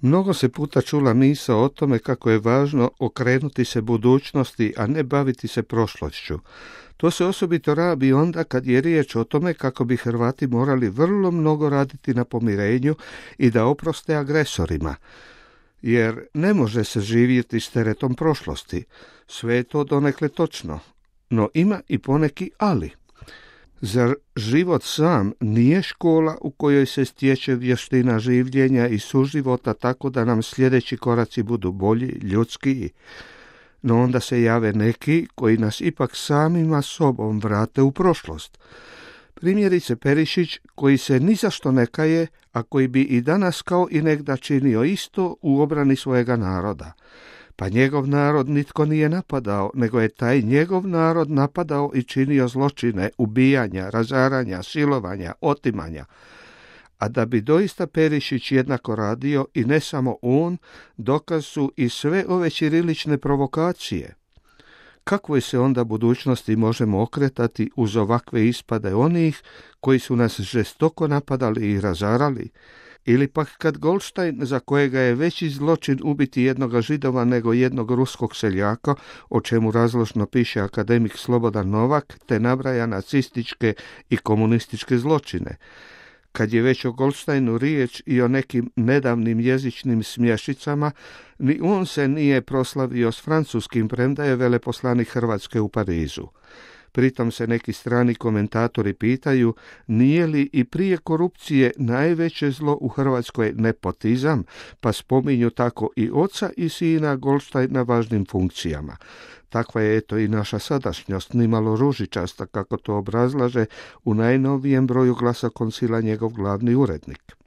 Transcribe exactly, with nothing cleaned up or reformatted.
Mnogo se puta čula misao o tome kako je važno okrenuti se budućnosti, a ne baviti se prošlošću. To se osobito rabi onda kad je riječ o tome kako bi Hrvati morali vrlo mnogo raditi na pomirenju i da oproste agresorima. Jer ne može se živjeti s teretom prošlosti. Sve je to donekle točno, no ima i poneki ali. Zar život sam nije škola u kojoj se stječe vještina življenja i suživota tako da nam sljedeći koraci budu bolji, ljudskiji? No onda se jave neki koji nas ipak samima sobom vrate u prošlost. Primjerice Perišić, koji se ni zašto ne kaje, a koji bi i danas kao i negda činio isto u obrani svojega naroda. Pa njegov narod nitko nije napadao, nego je taj njegov narod napadao i činio zločine, ubijanja, razaranja, silovanja, otimanja. A da bi doista Perišić jednako radio i ne samo on, dokaz su i sve ove ćirilične provokacije. Kakvoj se onda budućnosti možemo okretati uz ovakve ispade onih koji su nas žestoko napadali i razarali? Ili pak kad Goldstein, za kojega je veći zločin ubiti jednoga Židova nego jednog ruskog seljaka, o čemu razložno piše akademik Slobodan Novak, te nabraja nacističke i komunističke zločine. Kad je već o Goldsteinu riječ i o nekim nedavnim jezičnim smješicama, ni on se nije proslavio s francuskim, premda je veleposlanik Hrvatske u Parizu. Pritom se neki strani komentatori pitaju nije li i prije korupcije najveće zlo u Hrvatskoj nepotizam, pa spominju tako i oca i sina Goldsteina na važnim funkcijama. Takva je eto i naša sadašnjost, nimalo ružičasta, kako to obrazlaže u najnovijem broju Glasa Koncila njegov glavni urednik.